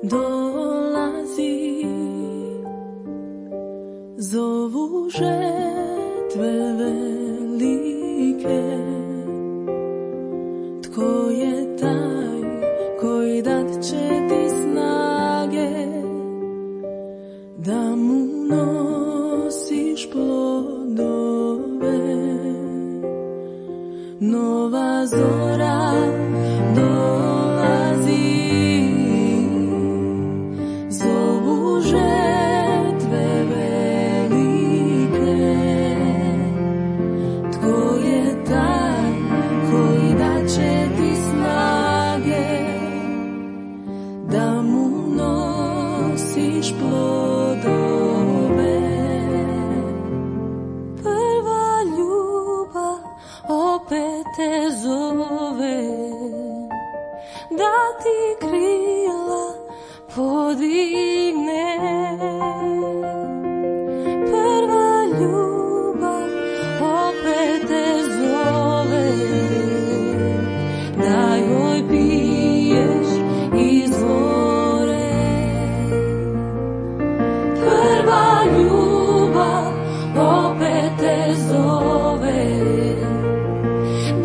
dolazi, zovu žetve velike. Tko je taj koji dat će ti snage da mu nosiš plodove? Nova zora dolazi, zovu žetve velike. Tko je taj koji dat će ti snage da mu nosiš plodove? Prva ljubav opet te zove, da ti krila podigne. Prva ljubav opet te zove, da joj piješ izvore. Prva ljubav opet te zove,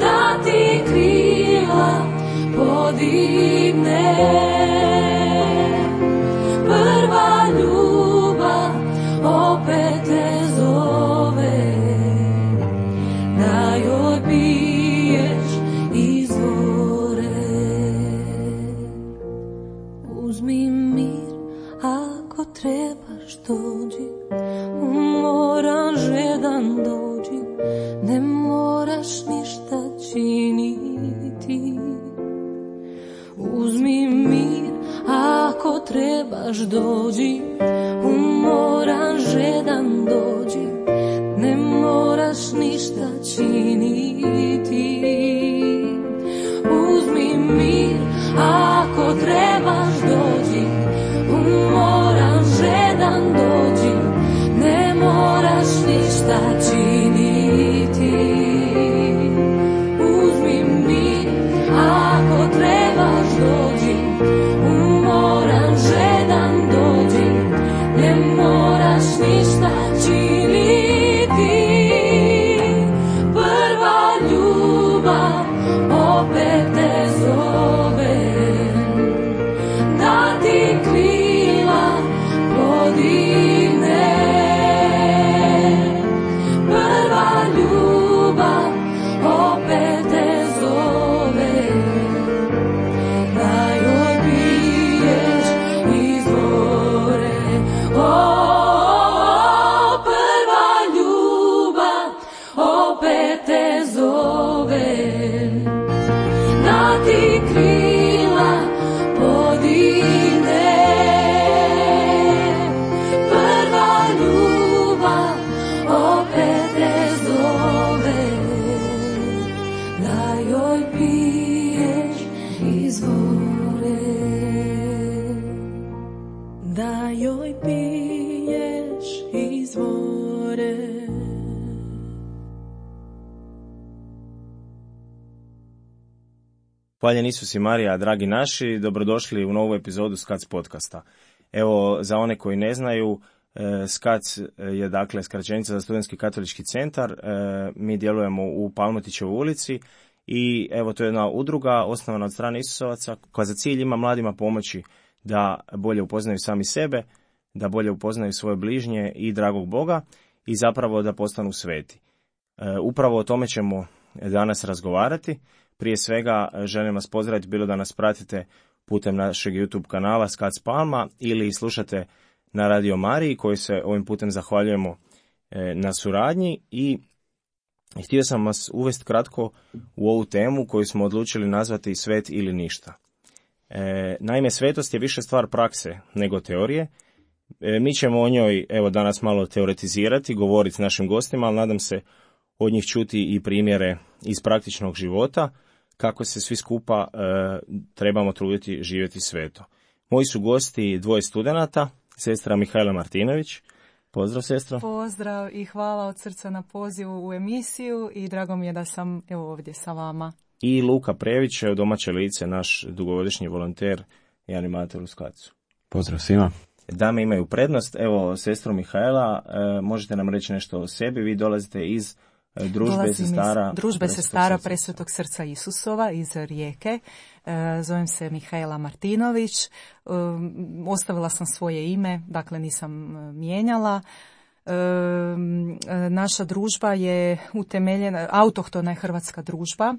da ti krila podigne. Prva ljubav opet te zove, da joj piješ izvore. Uzmi mir ako trebaš dođi, umoran žedan dođi, ne moraš ništa činiti. Uzmi mir ako trebaš dođi, umoran žedan dođi, ne moraš ništa činiti. Uzmi mir ako trebaš dođi, umoran žedan dođi, ne moraš ništa činiti. Uzmi mir ako trebaš dođi, umoran žedan dođi, ne moraš ništa činiti. Prva ljubav opet te zove, da ti krila podigne. Prva ljubav opet te zove, da joj piješ izvore. Prva ljubav opet te zove, da ti krila podigne. Prva ljubav opet te zove, da joj piješ izvore. Da joj piješ izvore. Hvaljen Isus i Marija, dragi naši, dobrodošli u novu epizodu SKAC podcasta. Evo, za one koji ne znaju, SKAC je dakle skraćenica za Studentski katolički centar. Mi djelujemo u Palmotićevoj ulici i evo, to je jedna udruga osnovana od strane Isusovaca koja za cilj ima mladima pomoći da bolje upoznaju sami sebe, da bolje upoznaju svoje bližnje i dragog Boga i zapravo da postanu sveti. Upravo o tome ćemo danas razgovarati. Prije svega želim vas pozdraviti, bilo da nas pratite putem našeg YouTube kanala SKAC Palma ili slušate na Radio Mariji, koji se ovim putem zahvaljujemo na suradnji. I htio sam vas uvesti kratko u ovu temu koju smo odlučili nazvati svet ili ništa. Naime, svetost je više stvar prakse nego teorije. Mi ćemo o njoj evo danas malo teoretizirati, govoriti s našim gostima, ali nadam se od njih čuti i primjere iz praktičnog života, kako se svi skupa trebamo truditi živjeti sveto. Moji su gosti dvoje studenata, sestra Mihajla Martinović. Pozdrav, sestro. Pozdrav i hvala od srca na pozivu u emisiju i drago mi je da sam ovdje sa vama. I Luka Prević, domaće lice, naš dugogodišnji volonter i animator u SKAC-u. Pozdrav svima. Dame imaju prednost. Evo, sestro Mihaela, možete nam reći nešto o sebi. Vi dolazite iz Družbe sestara Presvetog srca Isusova iz Rijeke. Zovem se Mihaela Martinović. Ostavila sam svoje ime, dakle nisam mijenjala. Naša družba je utemeljena, autohtona je hrvatska družba.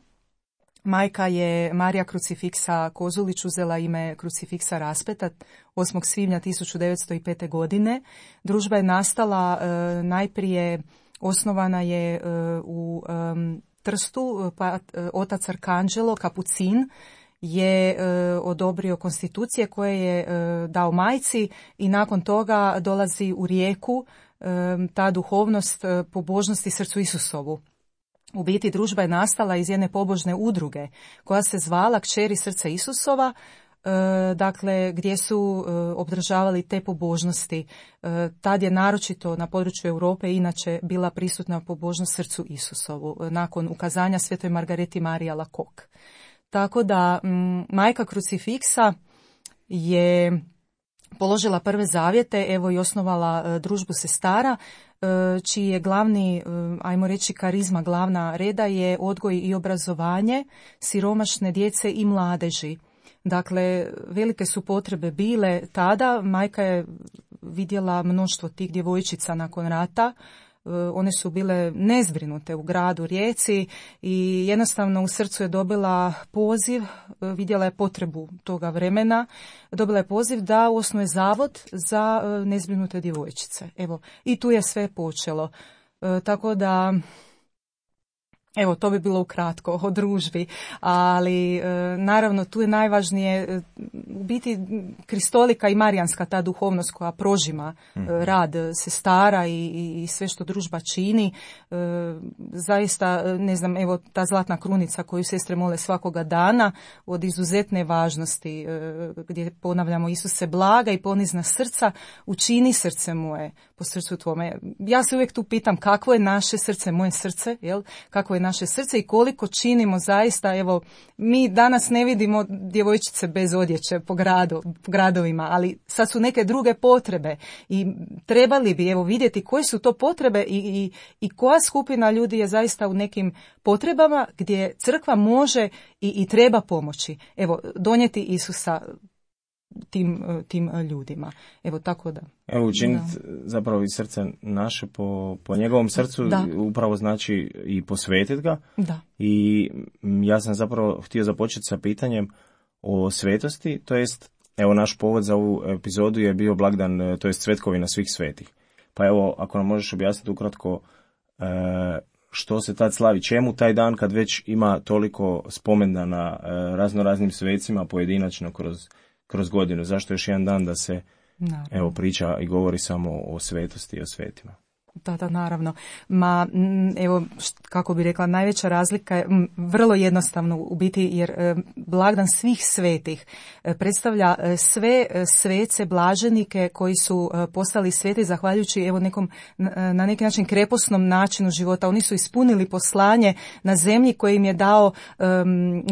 Majka je Marija Krucifiksa Kozulić, uzela ime Krucifiksa Raspeta 8. svibnja 1905. godine. Družba je nastala najprije, osnovana je u Trstu, pa otac Arkanđelo Kapucin je odobrio konstitucije koje je dao majci i nakon toga dolazi u Rijeku ta duhovnost pobožnosti srcu Isusovu. U biti družba je nastala iz jedne pobožne udruge koja se zvala Kćeri srca Isusova, dakle gdje su obdržavali te pobožnosti. Tad je naročito na području Europe inače bila prisutna pobožnost srcu Isusovu nakon ukazanja svetoj Margareti Mariji Alacoque. Tako da majka Krucifiksa je položila prve zavjete, evo i osnovala družbu sestara, čiji je glavni, ajmo reći karizma, glavna reda je odgoj i obrazovanje siromašne djece i mladeži. Dakle, velike su potrebe bile tada, majka je vidjela mnoštvo tih djevojčica nakon rata, one su bile nezbrinute u gradu Rijeci i jednostavno u srcu je dobila poziv, vidjela je potrebu toga vremena, dobila je poziv da osnuje zavod za nezbrinute djevojčice. Evo, i tu je sve počelo. Tako da, evo, to bi bilo ukratko o družbi, ali naravno tu je najvažnije u biti kristolika i marijanska ta duhovnost koja prožima rad sestara i sve što družba čini. Zaista, ne znam, evo ta zlatna krunica koju sestre mole svakoga dana od izuzetne važnosti, gdje ponavljamo Isuse blaga i ponizna srca, učini srce moje po srcu tvome. Ja se uvijek tu pitam kakvo je naše srce, moje srce, jel? Kakvo je naše srce i koliko činimo zaista, evo, mi danas ne vidimo djevojčice bez odjeće po gradovima, ali sad su neke druge potrebe i trebali bi, evo, vidjeti koje su to potrebe i koja skupina ljudi je zaista u nekim potrebama gdje crkva može i treba pomoći. Evo, donijeti Isusa tim ljudima. Evo, tako da. Evo, učiniti zapravo iz srca naše po njegovom srcu, upravo znači i posvetiti ga. Da. I ja sam zapravo htio započeti sa pitanjem o svetosti, to jest, evo, naš povod za ovu epizodu je bio blagdan, to jest Cvetkovina svih svetih. Pa evo, ako nam možeš objasniti ukratko što se tad slavi, čemu taj dan kad već ima toliko spomendana raznoraznim svecima pojedinačno kroz godinu, zašto još jedan dan da se evo priča i govori samo o svetosti i o svetima? Da, naravno. Evo, kako bi rekla, najveća razlika je vrlo jednostavno u biti, jer blagdan svih svetih predstavlja sve svece, blaženike koji su postali sveti zahvaljujući evo nekom, na neki način kreposnom načinu života. Oni su ispunili poslanje na zemlji koje im je dao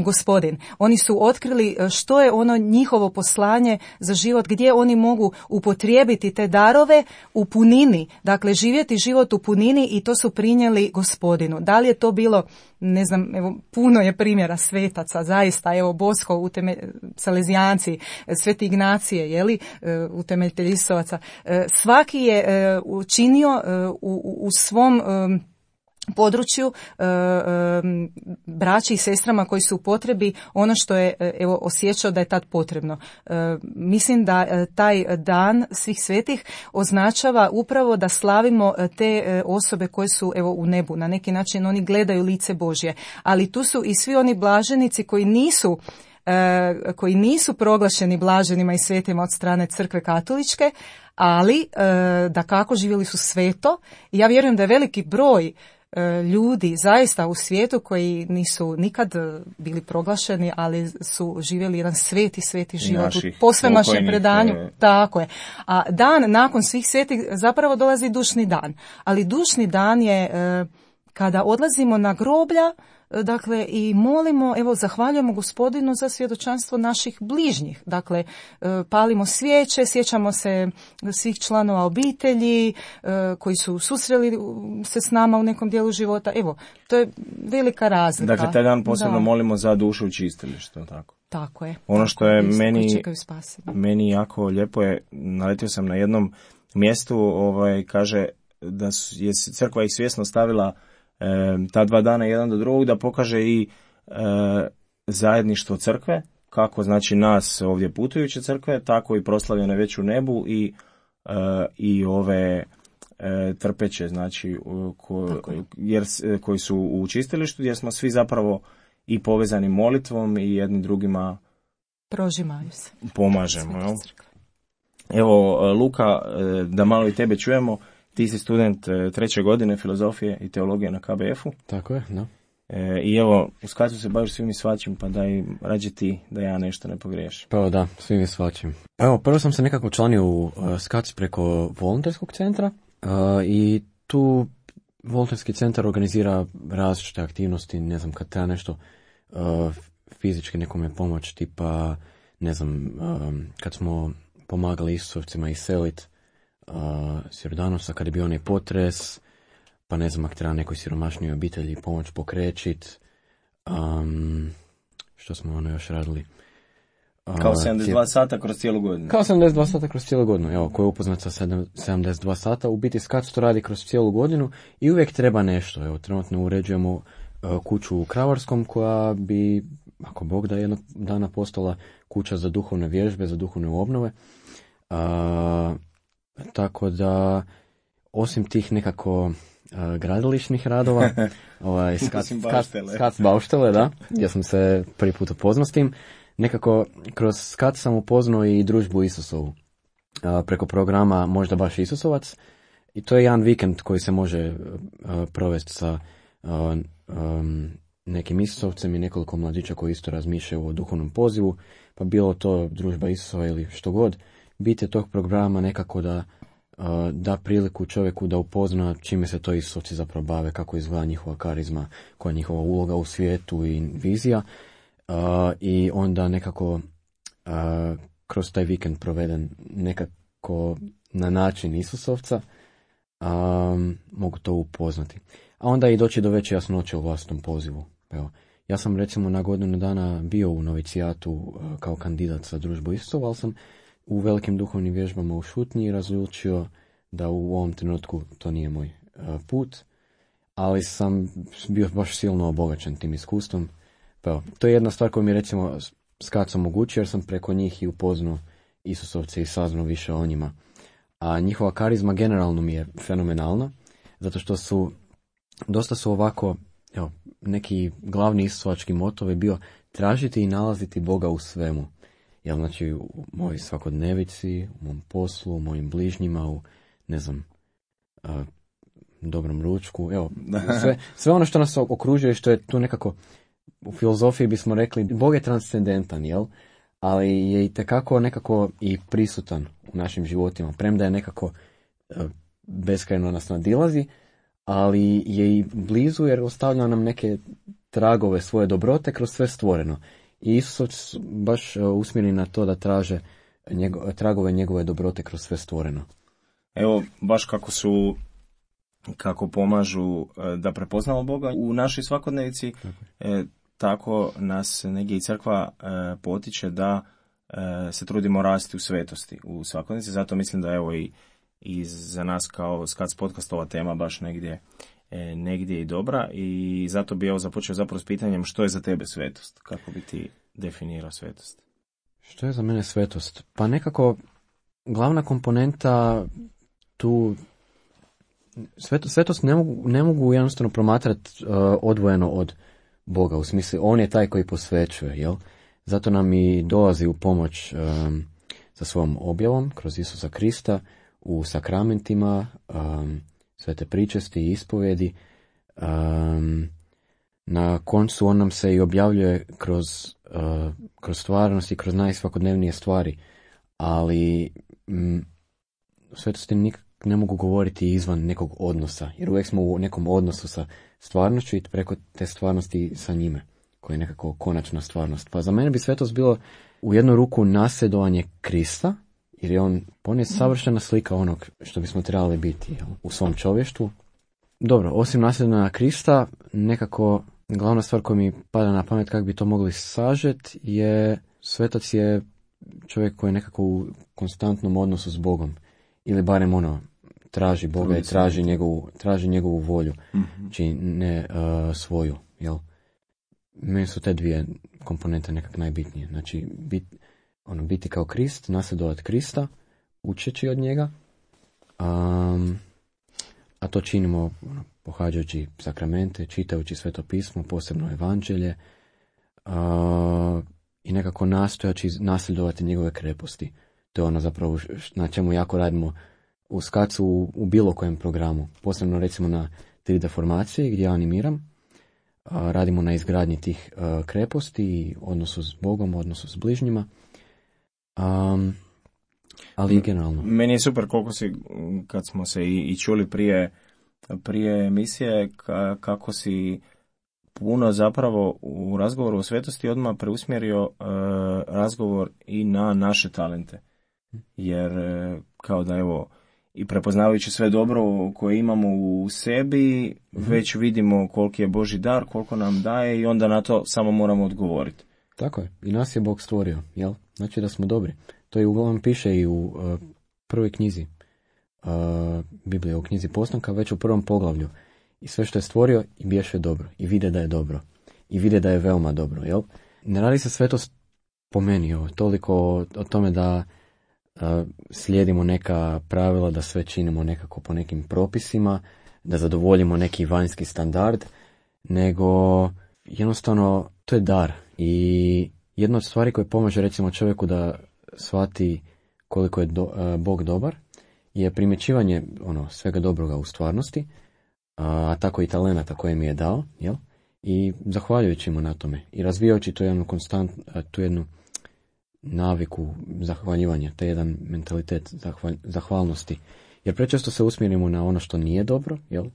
Gospodin. Oni su otkrili što je ono njihovo poslanje za život, gdje oni mogu upotrijebiti te darove u punini, dakle živjeti život u punini, i to su prinijeli Gospodinu. Da li je to bilo, ne znam, evo, puno je primjera svetaca, zaista, evo, Bosko, Salezijanci, Sveti Ignacije, jeli, utemeljitelj Isovaca. Svaki je učinio u svom području braći i sestrama koji su u potrebi ono što je evo osjećao da je tad potrebno. Mislim da taj dan svih svetih označava upravo da slavimo te osobe koje su evo u nebu. Na neki način oni gledaju lice Božje, ali tu su i svi oni blaženici koji nisu proglašeni blaženima i svetima od strane crkve katoličke, ali dakako živjeli su sveto, i ja vjerujem da je veliki broj ljudi zaista u svijetu koji nisu nikad bili proglašeni, ali su živjeli jedan sveti život u posvemašnjem predanju. Tako je. A dan nakon svih svetih zapravo dolazi dušni dan. Ali dušni dan je kada odlazimo na groblja dakle, i molimo, evo, zahvaljujemo Gospodinu za svjedočanstvo naših bližnjih. Dakle, palimo svijeće, sjećamo se svih članova obitelji koji su susreli se s nama u nekom dijelu života. Evo, to je velika razlika. Dakle, taj dan posebno molimo za dušu u čistilištu, tako? Tako je. Ono što je meni jako lijepo je, naletio sam na jednom mjestu, kaže da je crkva ih svjesno stavila ta 2 dana jedan do drugog da pokaže i zajedništvo crkve, kako znači nas ovdje putujuće crkve, tako i proslavljene već u nebu i ove trpeće, znači koji su u čistilištu, jer smo svi zapravo i povezani molitvom i jedni drugima prožimaju se. Pomažemo. Evo, Luka, da malo i tebe čujemo. Ti si student 3. godine filozofije i teologije na KBF-u. Tako je, da. I evo, u Skacu se baviš svim i svačim, pa daj rađe ti da ja nešto ne pogriješim. Pa da, svim i svačim. Evo, prvo sam se nekako članio u Skac preko volonterskog centra i tu volonterski centar organizira različite aktivnosti, ne znam, kad treba nešto fizički nekome pomoć, tipa, ne znam, kad smo pomagali Isusovcima iselit s Jordanosa, kad je bio onaj potres, pa ne znam, ako treba nekoj siromašnijoj obitelji pomoć pokrećit. Što smo još radili? Kao 72 sata kroz cijelu godinu. Kao 72 sata kroz cijelu godinu, evo, ko je upoznat sa 72 sata, u biti Skac to radi kroz cijelu godinu i uvijek treba nešto. Evo, trenutno uređujemo kuću u Kravarskom koja bi, ako Bog da, jednog dana postala kuća za duhovne vježbe, za duhovne obnove. Tako da, osim tih nekako gradilišnih radova, Skac Bauštele, da, gdje sam se prvi put upoznao s tim, nekako kroz Skac sam upoznao i družbu Isusovu preko programa Možda baš Isusovac, i to je jedan vikend koji se može provesti sa nekim Isusovcem i nekoliko mladića koji isto razmišljaju o duhovnom pozivu, pa bilo to družba Isusova ili što god. Bit je tog programa nekako da priliku čovjeku da upozna čime se to Isusovci zapravo bave, kako izgleda njihova karizma, koja je njihova uloga u svijetu i vizija, i onda nekako kroz taj vikend proveden nekako na način Isusovca mogu to upoznati. A onda i doći do veće jasnoće u vlastnom pozivu. Evo, ja sam recimo na godinu dana bio u novicijatu kao kandidat za družbu Isusova, ali sam u velikim duhovnim vježbama u šutnji razlučio da u ovom trenutku to nije moj put, ali sam bio baš silno obogaćen tim iskustvom. Pa evo, to je jedna stvar koju mi recimo Skac omogućio, jer sam preko njih i upoznao Isusovce i saznao više o njima. A njihova karizma generalno mi je fenomenalna, zato što dosta su ovako, evo, neki glavni isusovački motov je bio tražiti i nalaziti Boga u svemu. Jel, znači, u mojoj svakodnevici, u mom poslu, u mojim bližnjima, u, ne znam, dobrom ručku, evo, sve ono što nas okružuje, što je tu nekako, u filozofiji bismo rekli, Bog je transcendentan, jel? Ali je itekako nekako i prisutan u našim životima, premda je nekako beskrajno nas nadilazi, ali je i blizu jer ostavlja nam neke tragove svoje dobrote kroz sve stvoreno. I Isus baš usmjeri na to da traže tragove njegove dobrote kroz sve stvoreno. Evo, baš kako pomažu da prepoznamo Boga u našoj svakodnevici, tako nas negdje i crkva potiče da se trudimo rasti u svetosti u svakodnevici. Zato mislim da evo i za nas kao Skac podcast ova tema baš negdje i dobra, i zato bi započeo zapravo s pitanjem što je za tebe svetost, kako bi ti definirao svetost? Što je za mene svetost? Pa nekako glavna komponenta tu, svetost ne mogu jednostavno promatrati odvojeno od Boga, u smislu on je taj koji posvećuje, jel? Zato nam i dolazi u pomoć sa svojom objavom kroz Isusa Krista u sakramentima, svete pričesti i ispovjedi. Na koncu on nam se i objavljuje kroz stvarnost i kroz najsvakodnevnije stvari, ali svetosti ne mogu govoriti izvan nekog odnosa, jer uvijek smo u nekom odnosu sa stvarnošću i preko te stvarnosti sa njime, koja je nekako konačna stvarnost. Pa za mene bi svetost bilo u jednu ruku nasljedovanje Krista, jer je on je savršena slika onog što bismo trebali biti, jel, u svom čovještvu. Dobro, osim nasljedovanja Krista, nekako glavna stvar koja mi pada na pamet kako bi to mogli sažeti je svetac je čovjek koji je nekako u konstantnom odnosu s Bogom. Ili barem traži Boga i traži njegovu volju. Znači ne svoju. Jel? Meni su te dvije komponente nekak najbitnije. Znači biti kao Krist, nasljedovati Krista, učeći od njega. A to činimo pohađajući sakramente, čitajući Sveto pismo, posebno Evanđelje. I nekako nastojaći nasljedovati njegove kreposti. To je zapravo na čemu jako radimo u Skacu u bilo kojem programu. Posebno recimo na 3D formaciji gdje ja animiram. Radimo na izgradnji tih kreposti, odnosu s Bogom, odnosu s bližnjima. Ali generalno. Meni je super koliko si, kad smo se i čuli prije emisije, kako si puno zapravo u razgovoru o svetosti odmah preusmjerio razgovor i na naše talente. Jer kao da evo, i prepoznavajući sve dobro koje imamo u sebi, već vidimo koliki je Božji dar, koliko nam daje i onda na to samo moramo odgovoriti. Tako je. I nas je Bog stvorio, jel? Znači da smo dobri. To je uglavnom piše i u prvoj knjizi Biblije, u knjizi Postanka, već u prvom poglavlju. I sve što je stvorio i biješe dobro. I vide da je dobro. I vide da je veoma dobro, jel? Ne radi se svetost po meni, toliko o tome da slijedimo neka pravila, da sve činimo nekako po nekim propisima, da zadovoljimo neki vanjski standard, nego jednostavno to je dar. I jedna od stvari koje pomaže recimo čovjeku da shvati koliko je Bog dobar je primjećivanje svega dobroga u stvarnosti, a tako i talenata koje mi je dao, jel? I zahvaljujući mu na tome i razvijajući tu jednu naviku zahvaljivanja, taj jedan mentalitet zahvalnosti. Jer prečesto se usmjerimo na ono što nije dobro, jel?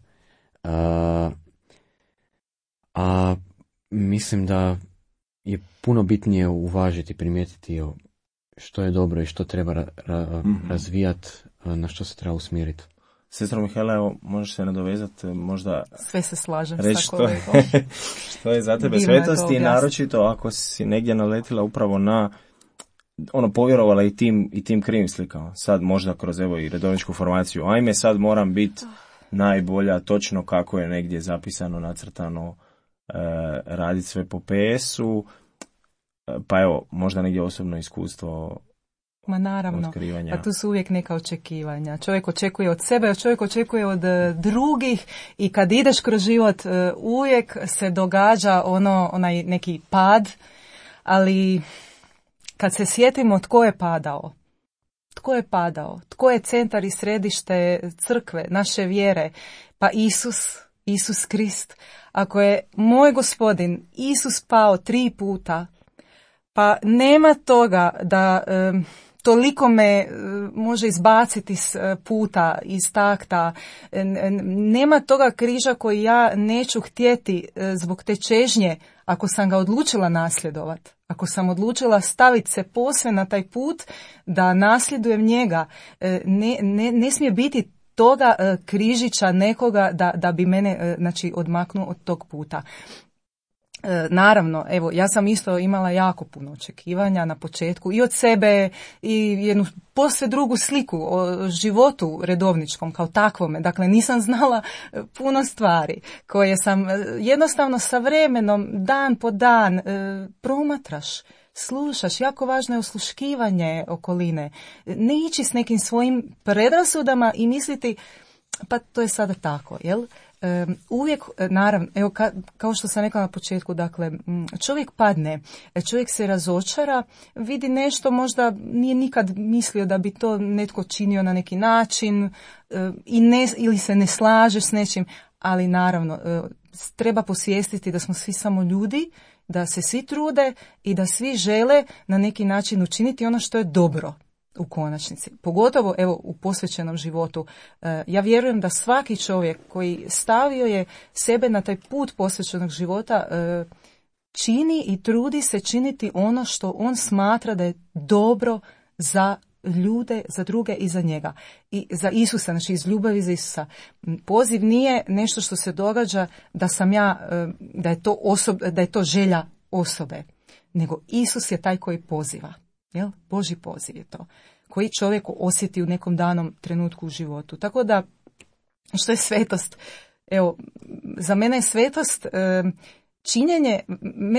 A mislim da je puno bitnije uvažiti, primijetiti što je dobro i što treba razvijati, na što se treba usmjeriti. Sestro Mihajla, evo, možeš se nadovezati, možda... Sve se slažem reći sa kolegom. Što je za tebe svetost i naročito ako si negdje naletila upravo na povjerovala i tim krivim slikama. Sad možda kroz evo i redovničku formaciju. Ajme, sad moram biti najbolja, točno kako je negdje zapisano, nacrtano, raditi sve po PS-u. Pa evo, možda negdje osobno iskustvo. Ma naravno, otkrivanja. A tu su uvijek neka očekivanja. Čovjek očekuje od sebe, čovjek očekuje od drugih i kad ideš kroz život uvijek se događa onaj neki pad, ali kad se sjetimo tko je padao, tko je centar i središte crkve, naše vjere, pa Isus Krist. Ako je moj Gospodin Isus pao 3 puta, pa nema toga da toliko me može izbaciti s puta, iz takta. Nema toga križa koji ja neću htjeti zbog te čežnje ako sam ga odlučila nasljedovati. Ako sam odlučila staviti se posve na taj put da nasljedujem njega, ne smije biti toga križića nekoga da bi mene odmaknuo od tog puta. Naravno, evo, ja sam isto imala jako puno očekivanja na početku i od sebe i jednu posve drugu sliku o životu redovničkom kao takvome. Dakle, nisam znala puno stvari koje sam jednostavno sa vremenom, dan po dan, promatraš, slušaš. Jako važno je osluškivanje okoline. Ne ići s nekim svojim predrasudama i misliti pa to je sada tako, jel? Uvijek, naravno, evo kao što sam rekla na početku, dakle, čovjek padne, čovjek se razočara, vidi nešto, možda nije nikad mislio da bi to netko činio na neki način ili se ne slaže s nečim, ali naravno, treba posvijestiti da smo svi samo ljudi, da se svi trude i da svi žele na neki način učiniti ono što je dobro. u konačnici. Pogotovo evo u posvećenom životu. Ja vjerujem da svaki čovjek koji stavio je sebe na taj put posvećenog života čini i trudi se činiti ono što on smatra da je dobro za ljude, za druge i za njega. I za Isusa, znači iz ljubavi za Isusa. Poziv nije nešto što se događa da sam ja, da je to želja osobe, nego Isus je taj koji poziva. Jel? Božji poziv je to. Koji čovjek osjeti u nekom danom trenutku u životu. Tako da, što je svetost? Evo, za mene je svetost činjenje,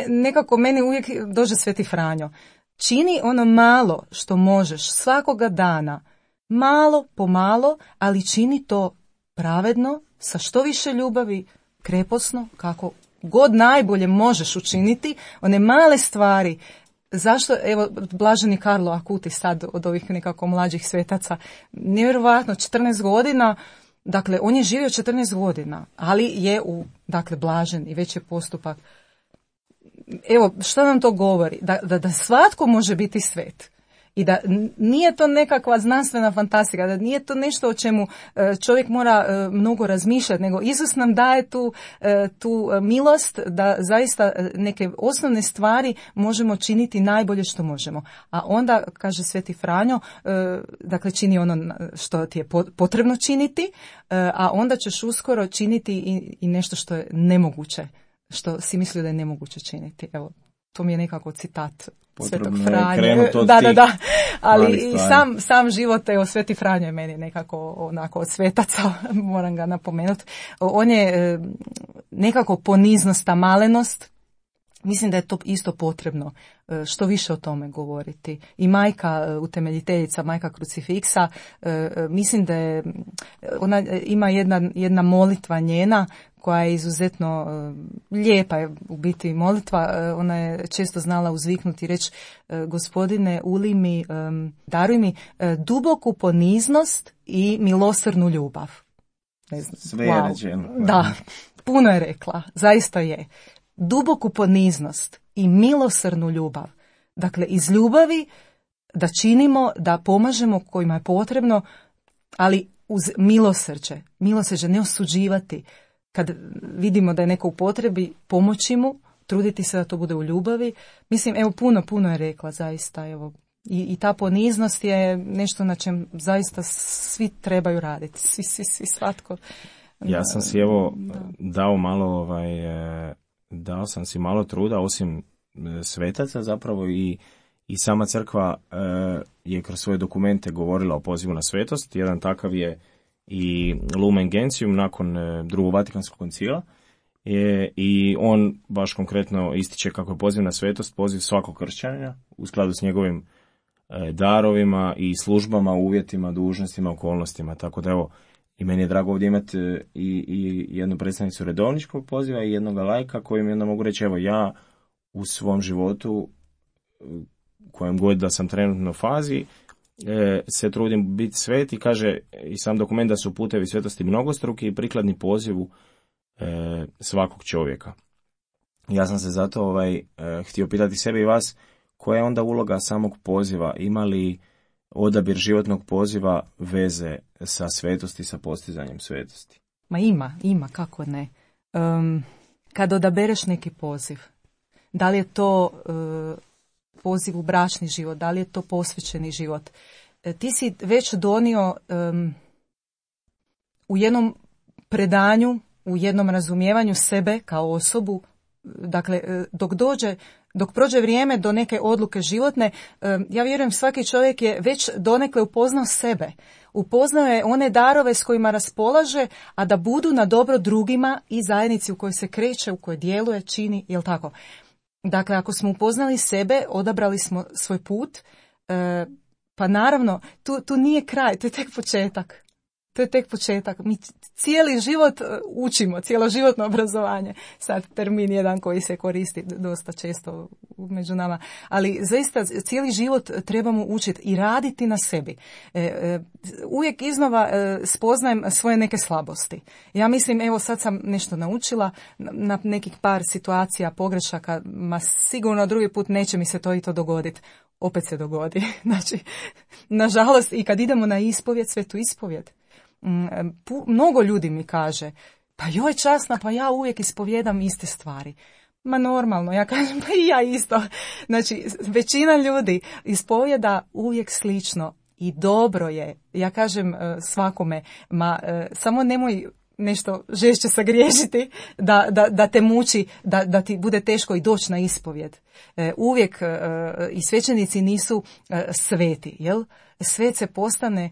nekako meni uvijek dođe Sveti Franjo. Čini ono malo što možeš svakoga dana, malo po malo, ali čini to pravedno, sa što više ljubavi, kreposno, kako god najbolje možeš učiniti, one male stvari. Zašto, evo, blaženi Karlo Akuti sad od ovih nekako mlađih svetaca, nevjerovatno, 14 godina, dakle, on je živio 14 godina, ali je blažen i već je postupak. Evo, što nam to govori? Da svatko može biti svet. I da nije to nekakva znanstvena fantastika, da nije to nešto o čemu čovjek mora mnogo razmišljati, nego Isus nam daje tu milost da zaista neke osnovne stvari možemo činiti najbolje što možemo. A onda, kaže Sveti Franjo, dakle čini ono što ti je potrebno činiti, a onda ćeš uskoro činiti i nešto što je nemoguće, što si mislio da je nemoguće činiti. Evo, to mi je nekako citat Svetog Franje. Da. Ali i sam život, evo, Sveti Franjo je meni nekako onako od svetaca, moram ga napomenuti. On je nekako poniznost, ta malenost. Mislim da je to isto potrebno što više o tome govoriti. I majka utemeljiteljica, majka Krucifiksa, mislim da je, ona ima jedna molitva njena koja je izuzetno lijepa, je u biti molitva. Ona je često znala uzviknuti i reći: Gospodine, daruj mi duboku poniznost i milosrdnu ljubav. Ne znam. Sve je rečeno. Da, puno je rekla, zaista je. Duboku poniznost i milosrdnu ljubav. Dakle, iz ljubavi da činimo, da pomažemo kojima je potrebno, ali uz milosrđe, ne osuđivati. Kad vidimo da je neko u potrebi, pomoći mu, truditi se da to bude u ljubavi. Mislim, evo, puno je rekla, zaista, evo. I ta poniznost je nešto na čem zaista svi trebaju raditi. Svi, svatko. Ja sam si, evo, dao malo dao sam si malo truda, osim svetaca zapravo, i sama crkva je kroz svoje dokumente govorila o pozivu na svetost. Jedan takav je i Lumen Gentium nakon drugog Vatikanskog koncila, i on baš konkretno ističe kako je poziv na svetost poziv svakog kršćanina u skladu s njegovim darovima i službama, uvjetima, dužnostima, okolnostima. Tako da, evo, i meni je drago ovdje imati i jednu predstavnicu redovničkog poziva i jednog lajka kojim onda mogu reći: evo, ja u svom životu, kojem god da sam trenutno u fazi, se trudim biti svet, i kaže i sam dokument da su putevi svetosti mnogostruki i prikladni pozivu svakog čovjeka. Ja sam se zato htio pitati sebe i vas, koja je onda uloga samog poziva? Ima li odabir životnog poziva veze sa svetosti, sa postizanjem svetosti? Ma ima, kako ne. Kad odabereš neki poziv, da li je to poziv u bračni život, da li je to posvećeni život, ti si već donio u jednom predanju, u jednom razumijevanju sebe kao osobu. Dakle, dok prođe vrijeme do neke odluke životne, ja vjerujem svaki čovjek je već donekle upoznao sebe. Upoznao je one darove s kojima raspolaže, a da budu na dobro drugima i zajednici u kojoj se kreće, u kojoj djeluje, čini, jel tako? Dakle, ako smo upoznali sebe, odabrali smo svoj put, pa naravno, tu nije kraj, to je tek početak. To je tek početak. Mi cijeli život učimo, cjeloživotno obrazovanje. Sad termin jedan koji se koristi dosta često među nama. Ali zaista cijeli život trebamo učiti i raditi na sebi. Uvijek iznova spoznajem svoje neke slabosti. Ja mislim, evo sad sam nešto naučila na nekih par situacija, pogrešaka, ma sigurno drugi put neće mi se to i to dogoditi. opet se dogodi. Znači, nažalost, i kad idemo na ispovjed, svetu ispovjed, mnogo ljudi mi kaže, pa joj časna, pa ja uvijek ispovjedam iste stvari. Ma normalno, ja kažem, pa i ja isto. Znači, većina ljudi ispovjeda uvijek slično i dobro je. Ja kažem svakome, samo nemoj nešto žešće sagriješiti da te muči, da ti bude teško i doći na ispovjed. Uvijek i svećenici nisu sveti, jel? Svet se postane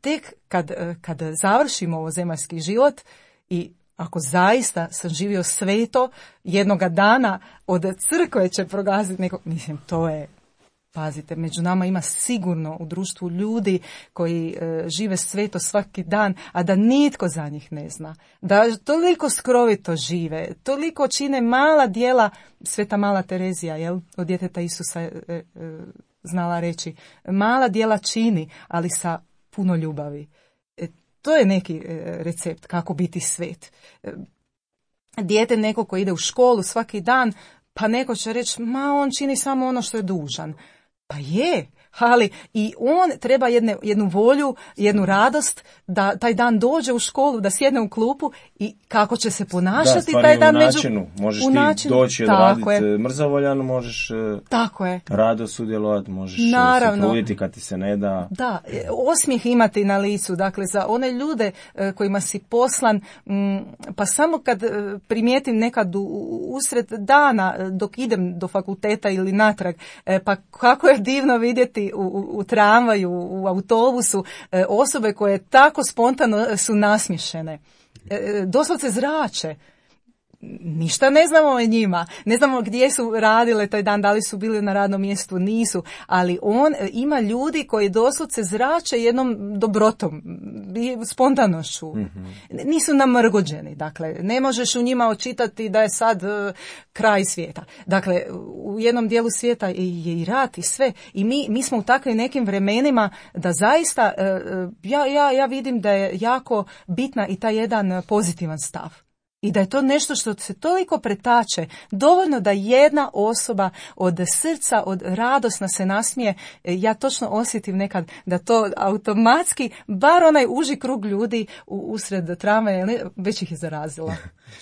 tek kad završimo ovo zemaljski život i ako zaista sam živio sveto, jednoga dana od crkve će proglasiti nekog, mislim, to je, pazite, među nama ima sigurno u društvu ljudi koji žive sveto svaki dan, a da nitko za njih ne zna. Da toliko skrovito žive, toliko čine mala djela, Sveta Mala Terezija, jel, od djeteta Isusa znala reći, mala djela čini, ali sa puno ljubavi. To je neki recept kako biti svet. Dijete neko ko ide u školu svaki dan, pa neko će reći, ma on čini samo ono što je dužan. Pa je, ali i on treba jednu volju, jednu radost da taj dan dođe u školu, da sjedne u klupu i kako će se ponašati taj dan među... Možeš ti doći odraditi mrzovoljano, možeš rado sudjelovati, možeš se truditi kad ti se ne da. Da, osmijeh imati na licu, dakle za one ljude kojima si poslan, pa samo kad primijetim nekad usred dana dok idem do fakulteta ili natrag, pa kako je divno vidjeti u tramvaju, u autobusu, osobe koje tako spontano su nasmiješene. Doslovce zrače. Ništa ne znamo o njima. Ne znamo gdje su radile taj dan, da li su bili na radnom mjestu, nisu. Ali on ima ljudi koji doslovce zrače jednom dobrotom, spontanošću. Mm-hmm. Nisu namrgođeni. Dakle, ne možeš u njima očitati da je sad kraj svijeta. Dakle, u jednom dijelu svijeta je i rat i sve. I mi smo u takvim nekim vremenima da zaista, ja vidim da je jako bitna i taj jedan pozitivan stav. I da je to nešto što se toliko pretače, dovoljno da jedna osoba od srca, od radosna se nasmije, ja točno osjetim nekad da to automatski, bar onaj uži krug ljudi usred tramvaja, već ih je zarazilo.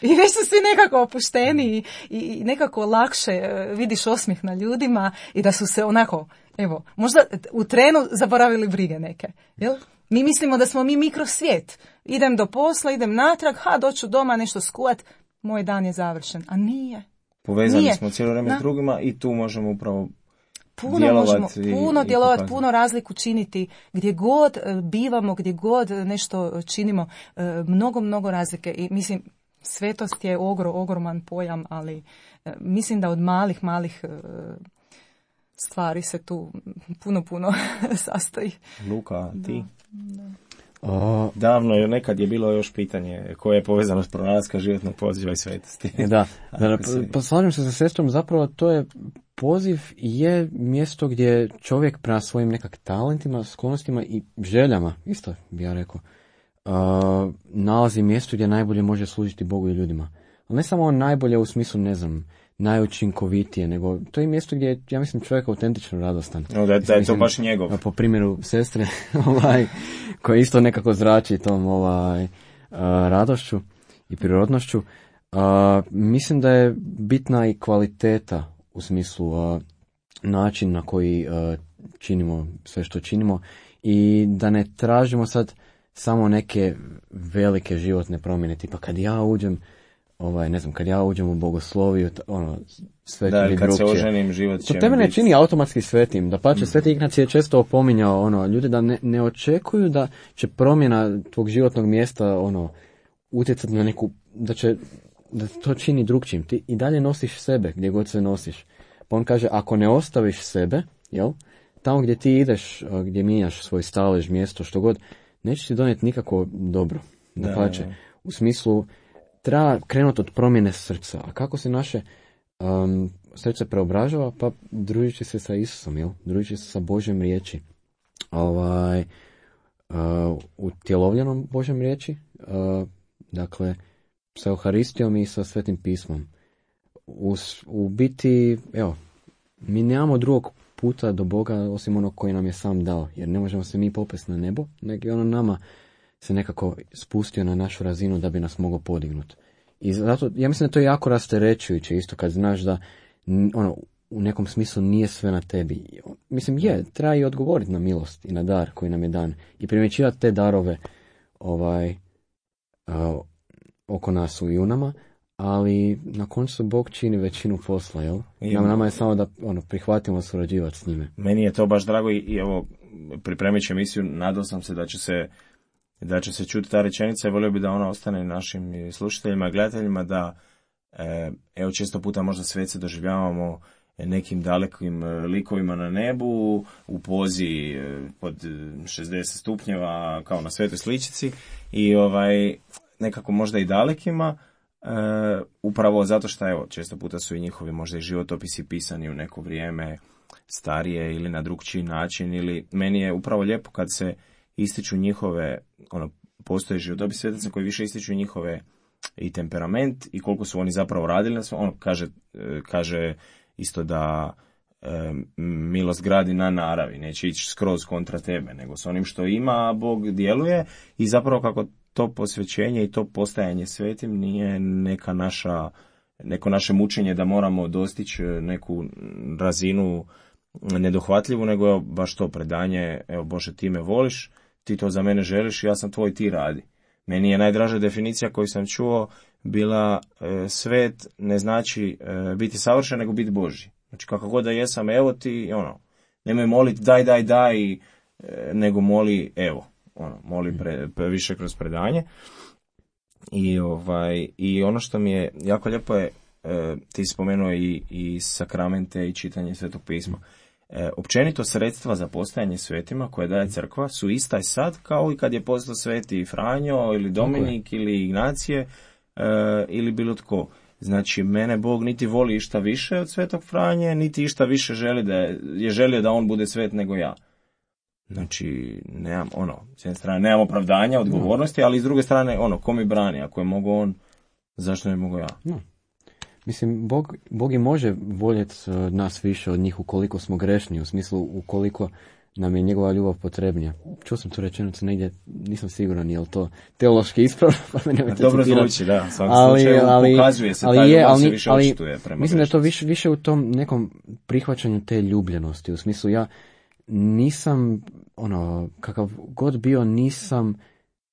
I već su svi nekako opušteni i nekako lakše vidiš osmijeh na ljudima i da su se onako, evo, možda u trenu zaboravili brige neke, jel? Mi mislimo da smo mi mikrosvijet. Idem do posla, idem natrag, doću doma nešto skuvat, moj dan je završen. A nije. Povezani smo cijelo vrijeme s drugima i tu možemo upravo puno djelovati, puno razliku činiti. Gdje god bivamo, gdje god nešto činimo, mnogo razlike. I mislim, svetost je ogroman pojam, ali mislim da od malih stvari se tu puno sastoji. Luka, ti? Davno je, nekad je bilo još pitanje koje je povezano s pronalaska životnog poziva i svetosti. Da, pa slažem se sa sestrom, zapravo to je poziv je mjesto gdje čovjek prema svojim nekak talentima, sklonostima i željama, isto bi ja rekao, nalazi mjesto gdje najbolje može služiti Bogu i ljudima. Ali ne samo najbolje u smislu, ne znam, najučinkovitije, nego to je mjesto gdje je, ja mislim, čovjek autentično radostan. Da je to baš njegov. Po primjeru sestre, koja isto nekako zrači tom radošću i prirodnošću. Mislim da je bitna i kvaliteta u smislu način na koji činimo sve što činimo i da ne tražimo sad samo neke velike životne promjene, tipa kad ja uđem kad ja uđem u bogosloviju, sve će biti kad drugčije. Se oženim, život će to tebe ne čini automatski svetim. Da pače, Sveti Ignacij je često opominjao ljude da ne očekuju da će promjena tvog životnog mjesta utjecati na neku, da to čini drugčijim. Ti i dalje nosiš sebe gdje god se nosiš. Pa on kaže, ako ne ostaviš sebe, jel, tamo gdje ti ideš, gdje mijenjaš svoj stalež, mjesto, što god, neće ti donijeti nikako dobro. Da pače, u smislu treba krenuti od promjene srca. A kako se naše srce preobražava? Pa družeći se sa Isusom, jel? Družeći se sa Božjom riječi. Utjelovljenom Božjom riječi. Dakle, sa Euharistijom i sa Svetim pismom. U biti, evo, mi nemamo drugog puta do Boga osim onog koji nam je sam dao. Jer ne možemo se mi popesti na nebo, nego je ono nama se nekako spustio na našu razinu da bi nas mogao podignuti. I zato, ja mislim da to je jako rasterećujuće isto kad znaš da ono, u nekom smislu nije sve na tebi. Mislim, treba i odgovoriti na milost i na dar koji nam je dan. I primjećivati te darove oko nas i u nama, ali na koncu Bog čini većinu posla, jel? Nama je samo da prihvatimo surađivati s njime. Meni je to baš drago i evo, pripremajući emisiju, nadao sam se da će se čuti ta rečenica i volio bi da ona ostane našim slušateljima i gledateljima, da evo često puta možda svece doživljavamo nekim dalekim likovima na nebu, u pozi pod 60 stupnjeva kao na svetoj sličici i nekako možda i dalekima, upravo zato što evo često puta su i njihovi možda i životopisi pisani u neko vrijeme starije ili na drugčiji način, ili meni je upravo lijepo kad se ističu njihove, postoje životopisi svetaca koji više ističu njihove i temperament i koliko su oni zapravo radili na sve. Kaže isto da milost gradi na naravi, neće ići skroz kontra tebe, nego s onim što ima Bog djeluje i zapravo kako to posvećenje i to postajanje svetim nije neko naše mučenje da moramo dostići neku razinu nedohvatljivu, nego baš to predanje, evo Bože ti me voliš, ti to za mene želiš, ja sam tvoj, ti radi. Meni je najdraža definicija koju sam čuo bila svet ne znači biti savršen, nego biti Božji. Znači kako god da jesam, evo ti, nemoj moliti daj, nego moli evo, moli više kroz predanje. I ono što mi je jako lijepo je, ti spomenuo i sakramente i čitanje Svetog pisma. Općenito sredstva za postajanje svetima koje daje crkva su ista i sad kao i kad je postao sveti Franjo ili Dominik ili Ignacije ili bilo tko. Znači mene Bog niti voli išta više od svetog Franje, niti išta više je želio da on bude svet nego ja. Znači nemam s jedne strane nemam opravdanja, odgovornosti, ali s druge strane ko mi brani, ako je mogo on, zašto ne mogu ja? No. Mislim, Bog i može voljeti nas više od njih ukoliko smo grešni, u smislu ukoliko nam je njegova ljubav potrebnija. Čuo sam tu rečenicu negdje, nisam siguran je li to teološki ispravno. Dobro zvuči, da. Ali pokazuje se, taj ljubav se više očituje prema mislim da je to više u tom nekom prihvaćanju te ljubljenosti. U smislu ja nisam, kakav god bio, nisam,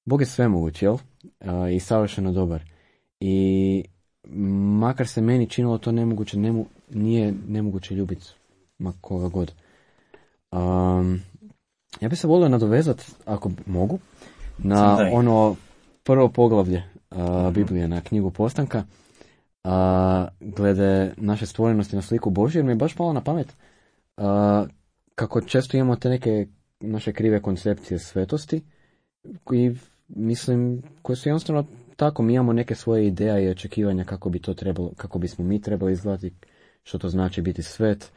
Bog je svemoguć, jel? I savršeno dobar. I makar se meni činilo to nemoguće, nije nemoguće ljubiti ma koga god. Ja bih se volio nadovezati, ako mogu, na prvo poglavlje Biblije, na knjigu Postanka, glede naše stvorenosti na sliku Božju, jer mi je baš palo na pamet kako često imamo te neke naše krive koncepcije svetosti, koje su jednostavno tako, mi imamo neke svoje ideje i očekivanja kako bi to trebalo, kako bismo mi trebali izgledati, što to znači biti svet.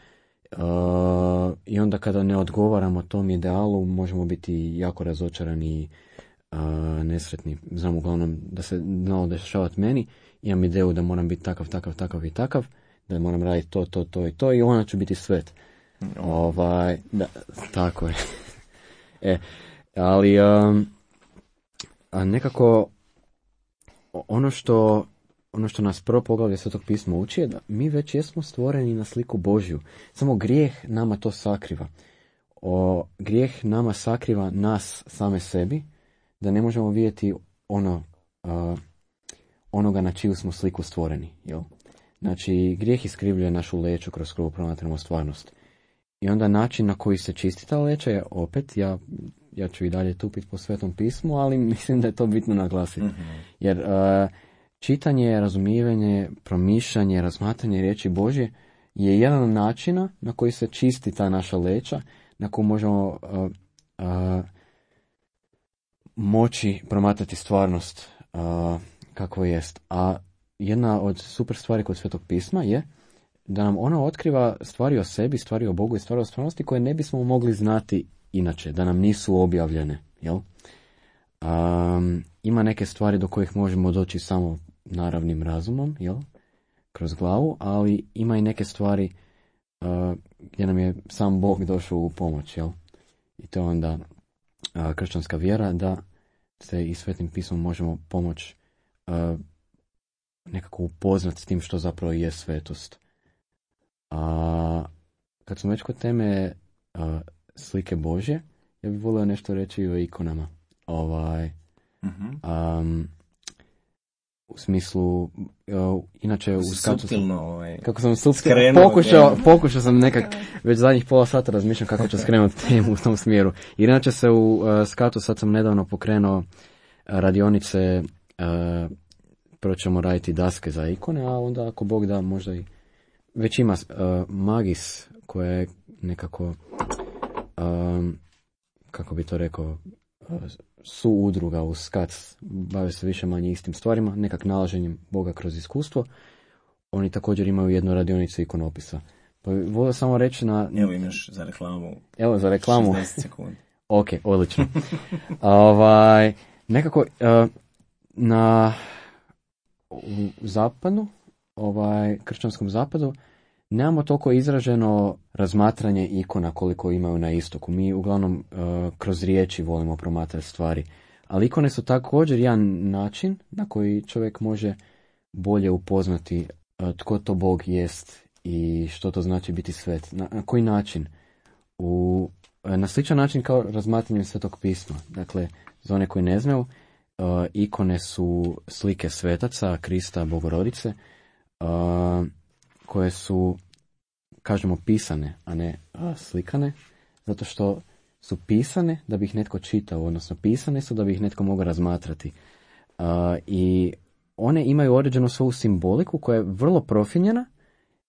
I onda kada ne odgovaramo tom idealu, možemo biti jako razočarani i nesretni. Znam uglavnom da se znalo dešavati meni, imam ideju da moram biti takav i takav, da moram raditi to i to i onda ću biti svet. Da, tako je. Ali nekako ono što nas prvo poglavlje Svetog pisma uči je da mi već jesmo stvoreni na sliku Božju. Samo grijeh nama to sakriva. Grijeh nama sakriva nas same sebi, da ne možemo vidjeti onoga na čiju smo sliku stvoreni. Jel? Znači, grijeh iskrivljuje našu leću kroz koju promatramo stvarnost. I onda način na koji se čisti ta leća je opet, ja ću i dalje tupiti po Svetom pismu, ali mislim da je to bitno naglasiti. Mm-hmm. Jer čitanje, razumijevanje, promišljanje, razmatranje riječi Božje je jedan od načina na koji se čisti ta naša leća, na koju možemo moći promatrati stvarnost kakvo jest. A jedna od super stvari kod Svetog pisma je da nam ono otkriva stvari o sebi, stvari o Bogu i stvari o stvarnosti koje ne bismo mogli znati inače, da nam nisu objavljene. Jel? Ima neke stvari do kojih možemo doći samo naravnim razumom, jel? Kroz glavu, ali ima i neke stvari gdje nam je sam Bog došao u pomoć, jel? I to je onda kršćanska vjera, da se i Svetim pismom možemo pomoći nekako upoznati s tim što zapravo je svetost. A kad smo već kod teme slike Božje, ja bih volio nešto reći o ikonama. U smislu, inače u skatu kako sam pokušao sam nekak, već zadnjih pola sata razmišljam kako ću skrenuti temu u tom smjeru. Inače se u skatu, sad sam nedavno pokrenuo radionice, prvo ćemo raditi daske za ikone, a onda ako Bog da možda i već ima Magis koja je nekako, kako bi to rekao, su udruga u SKAC, bave se više manje istim stvarima, nekak nalaženjem Boga kroz iskustvo. Oni također imaju jednu radionicu ikonopisa. Pa volio samo reći na... Evo imaš za reklamu. Evo za reklamu. 60 sekundi. Ok, odlično. Nekako u zapadu, kršćanskom zapadu, nemamo toliko izraženo razmatranje ikona koliko imaju na istoku. Mi uglavnom kroz riječi volimo promatrati stvari. Ali ikone su također jedan način na koji čovjek može bolje upoznati tko to Bog jest i što to znači biti svet. Na koji način? Na sličan način kao razmatranje Svetog pisma. Dakle, za one koji ne znaju, ikone su slike svetaca, Krista, Bogorodice, koje su, kažemo, pisane, a ne slikane, zato što su pisane da bi ih netko čitao, odnosno pisane su da bi ih netko mogao razmatrati. I one imaju određenu svoju simboliku koja je vrlo profinjena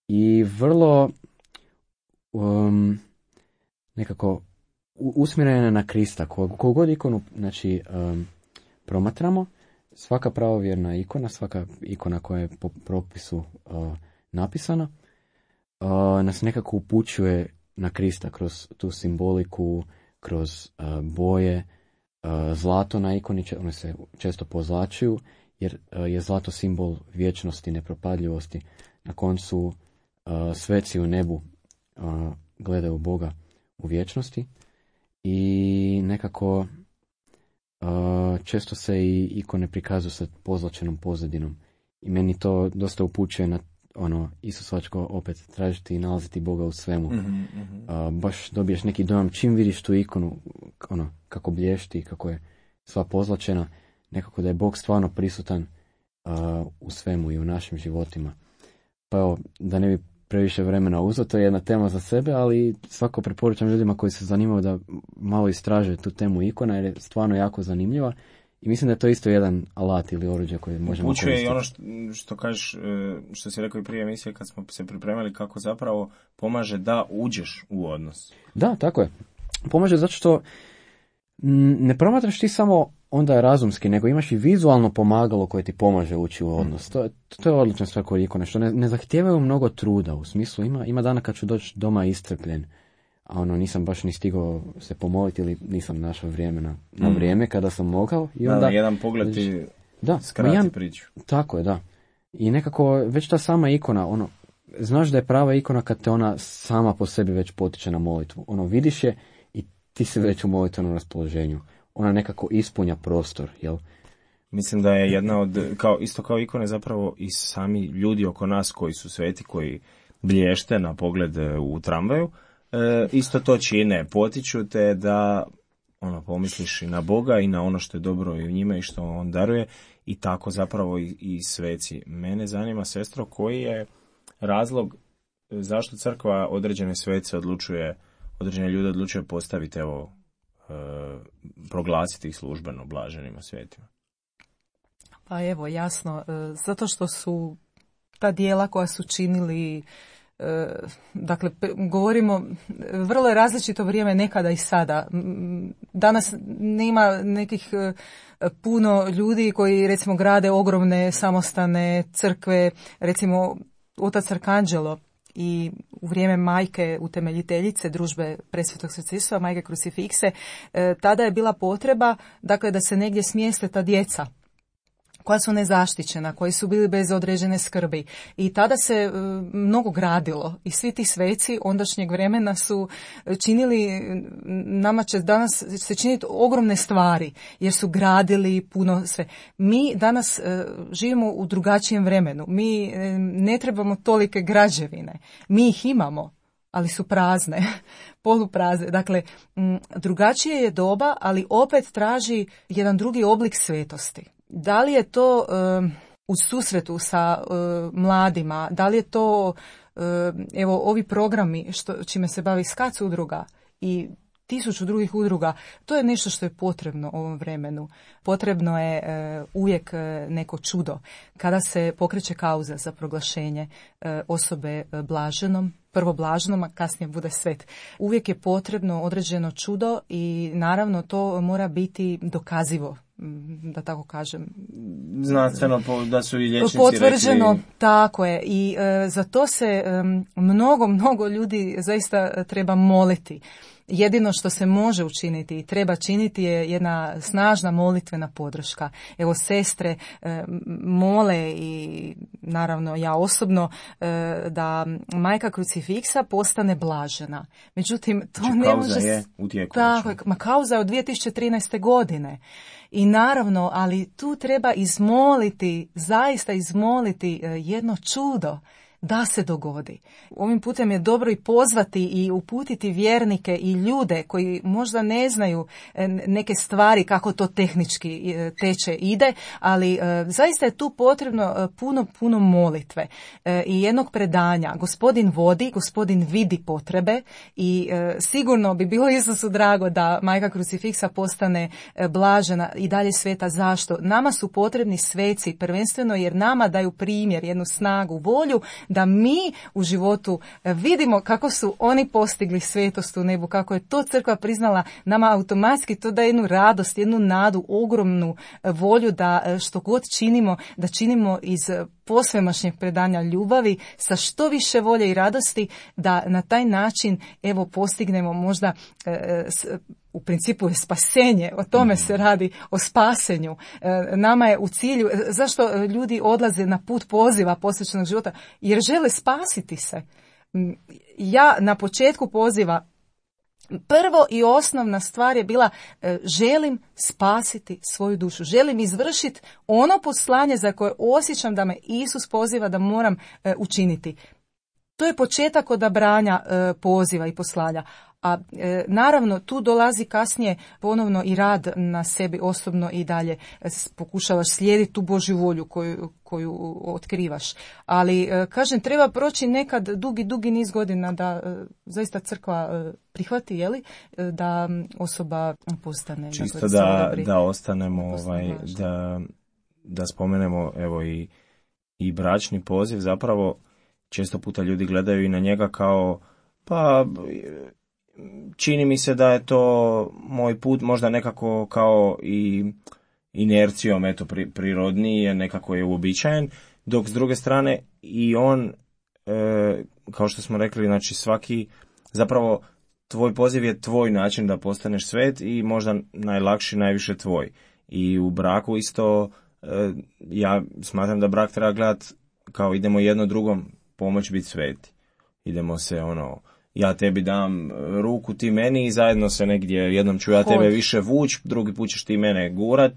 i vrlo nekako usmjerena na Krista. Koliko god ikonu promatramo, svaka pravovjerna ikona, svaka ikona koja je po propisu napisana, nas nekako upućuje na Krista kroz tu simboliku, kroz boje. Zlato na ikoni, one se često pozlačuju, jer je zlato simbol vječnosti, nepropadljivosti. Na koncu sveci u nebu gledaju Boga u vječnosti i nekako često se i ikone prikazuju sa pozlačenom pozadinom. I meni to dosta upućuje na isusovačko opet tražiti i nalaziti Boga u svemu. Baš dobiješ neki dojam čim vidiš tu ikonu, kako blješti, kako je sva pozlačena, nekako da je Bog stvarno prisutan u svemu i u našim životima. Pa evo, da ne bi previše vremena uzeo, to je jedna tema za sebe, ali svako preporučam ljudima koji se zanimaju da malo istraže tu temu ikona, jer je stvarno jako zanimljiva. I mislim da je to isto jedan alat ili oruđe koje možemo koristiti. Upućuje i ono što kažeš, što si rekao i prije emisije kad smo se pripremali, kako zapravo pomaže da uđeš u odnos. Da, tako je. Pomaže zato što ne promatraš ti samo onda razumski, nego imaš i vizualno pomagalo koje ti pomaže ući u odnos. To je odlična stvar kod ikone, što ne zahtijevaju mnogo truda, u smislu ima dana kad ću doći doma iscrpljen, a nisam baš ni stigao se pomoliti ili nisam našao vrijeme na vrijeme kada sam mogao. I onda, jedan pogled ti skrati priču. Tako je, da. I nekako već ta sama ikona, znaš da je prava ikona kad te ona sama po sebi već potiče na molitvu. Vidiš je i ti si već u molitvenom raspoloženju. Ona nekako ispunja prostor, jel? Mislim da je jedna od, isto kao ikone, zapravo i sami ljudi oko nas koji su sveti, koji blješte na pogled u tramvaju, isto to čine, potiču te da pomisliš i na Boga i na ono što je dobro i u njime i što on daruje, i tako zapravo i sveci. Mene zanima, sestro, koji je razlog zašto crkva određene svece određene ljude odlučuje postaviti, proglasiti ih službeno blaženima svetima? Pa evo, jasno, zato što su ta dijela koja su činili, dakle, govorimo, vrlo je različito vrijeme nekada i sada. Danas nema nekih puno ljudi koji, recimo, grade ogromne samostane crkve, recimo otac Arkanđelo i u vrijeme majke utemeljiteljice družbe Presvetog srca, majke Krucifikse, tada je bila potreba, dakle, da se negdje smjeste ta djeca. koja su nezaštićena, koji su bili bez određene skrbi. I tada se mnogo gradilo i svi ti sveci ondašnjeg vremena su činili, nama će danas se činiti ogromne stvari, jer su gradili puno sve. Mi danas živimo u drugačijem vremenu, mi ne trebamo tolike građevine, mi ih imamo, ali su prazne, poluprazne. Dakle, drugačije je doba, ali opet traži jedan drugi oblik svetosti. Da li je to u susretu sa mladima, da li je to evo ovi programi čime se bavi SKAC udruga i 1000 drugih udruga, to je nešto što je potrebno ovom vremenu. Potrebno je uvijek neko čudo. Kada se pokreće kauza za proglašenje osobe blaženom, prvo blaženom, a kasnije bude svet. Uvijek je potrebno određeno čudo i naravno to mora biti dokazivo, da tako kažem. Znanstveno da su i liječnici potvrđeno, rekli... tako je. I za to se mnogo ljudi zaista treba moliti. Jedino što se može učiniti i treba činiti je jedna snažna molitvena podrška. Evo, sestre mole i naravno ja osobno da majka krucifiksa postane blažena. Međutim, to znači, ne može... je u tijeku. Tako, kauza je od 2013. godine. I naravno, ali tu treba izmoliti, zaista izmoliti jedno čudo da se dogodi. Ovim putem je dobro i pozvati i uputiti vjernike i ljude koji možda ne znaju neke stvari kako to tehnički teče ide, ali zaista je tu potrebno puno molitve i jednog predanja. Gospodin vodi, Gospodin vidi potrebe i sigurno bi bilo Isusu drago da majka krucifiksa postane blažena i dalje sveta. Zašto? Nama su potrebni sveci, prvenstveno jer nama daju primjer, jednu snagu, volju da mi u životu vidimo kako su oni postigli svetost u nebu, kako je to crkva priznala, nama automatski to daje jednu radost, jednu nadu, ogromnu volju da što god činimo, da činimo iz posvemašnjeg predanja ljubavi sa što više volje i radosti, da na taj način evo postignemo možda u principu je spasenje, o tome se radi, o spasenju. Nama je u cilju, zašto ljudi odlaze na put poziva posvećenog života? Jer žele spasiti se. Ja na početku poziva prvo i osnovna stvar je bila želim spasiti svoju dušu. Želim izvršiti ono poslanje za koje osjećam da me Isus poziva da moram učiniti. To je početak odabranja poziva i poslanja. A naravno tu dolazi kasnije ponovno i rad na sebi osobno i dalje pokušavaš slijediti tu Božju volju koju otkrivaš. Ali kažem, treba proći nekad dugi niz godina da zaista crkva prihvati, jeli, da osoba postane. Čisto da ostanemo, da spomenemo evo i bračni poziv, zapravo često puta ljudi gledaju i na njega kao pa čini mi se da je to moj put, možda nekako kao i inercijom, eto, prirodniji je, nekako je uobičajen, dok s druge strane i on, kao što smo rekli, znači svaki, zapravo tvoj poziv je tvoj način da postaneš svet i možda najlakši, najviše tvoj. I u braku isto, ja smatram da brak treba gledati kao idemo jedno drugom pomoć biti sveti. Idemo se ja tebi dam ruku, ti meni i zajedno se negdje, jednom ću ja tebe više vuć, drugi put ćeš ti mene gurat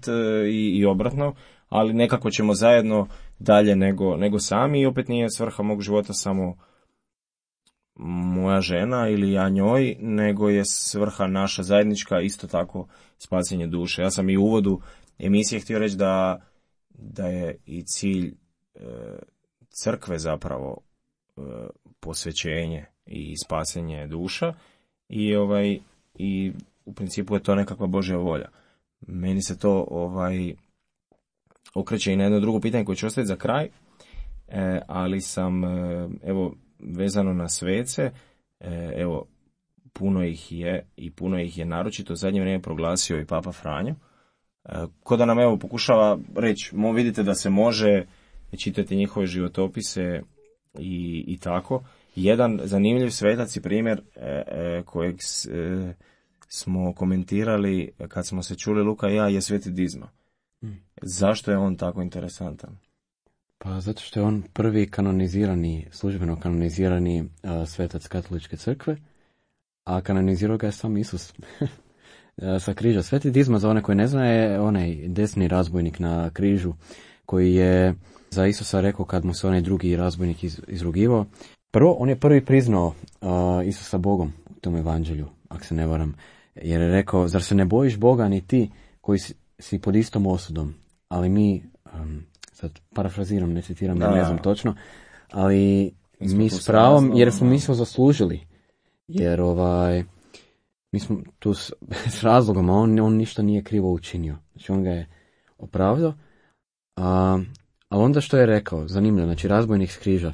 i obratno, ali nekako ćemo zajedno dalje nego sami i opet nije svrha mog života samo moja žena ili ja njoj, nego je svrha naša zajednička, isto tako spasenje duše. Ja sam i u uvodu emisije htio reći da je i cilj crkve zapravo posvećenje i spasenje duša i u principu je to nekakva Božja volja. Meni se to okreće i na jedno drugo pitanje koje ću ostaviti za kraj, ali sam evo vezano na svece, evo puno ih je i puno ih je naročito u zadnje vrijeme proglasio i Papa Franjo, ko da nam evo pokušava reći, vidite da se može čitati njihove životopise i tako. Jedan zanimljiv svetac i primjer kojeg smo komentirali kad smo se čuli Luka i ja je Sveti Dizma. Zašto je on tako interesantan? Pa zato što je on prvi službeno kanonizirani svetac katoličke crkve, a kanonizirao ga je sam Isus sa križa. Sveti Dizma, za one koji ne zna, je onaj desni razbojnik na križu koji je za Isusa rekao kad mu se onaj drugi razbojnik izrugivao. Prvo, on je prvi priznao Isusa Bogom u tom evanđelju, ako se ne varam, jer je rekao, zar se ne bojiš Boga ni ti koji si pod istom osudom? Ali mi, sad parafraziram, ne citiram, ne znam točno, ali mi s pravom, jer smo mi smo zaslužili, jer mi smo tu s razlogom, a on ništa nije krivo učinio. Znači on ga je opravdao, ali onda što je rekao, zanimljivo, znači razbojnik s križa,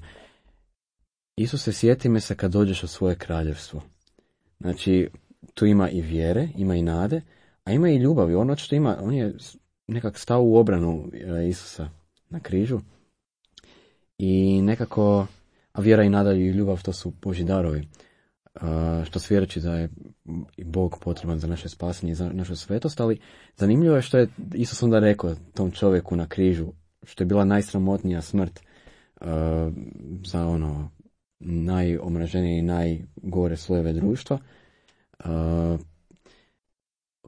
Isuse, sjeti me se kad dođeš u svoje kraljevstvo. Znači, tu ima i vjere, ima i nade, a ima i ljubavi. On je nekak stao u obranu Isusa na križu i nekako, a vjera i nada i ljubav, to su Božji darovi. Što svjedoči da je i Bog potreban za naše spasenje i za našu svetost, ali zanimljivo je što je Isus onda rekao tom čovjeku na križu, što je bila najsramotnija smrt za najomraženije i najgore slojeve društva.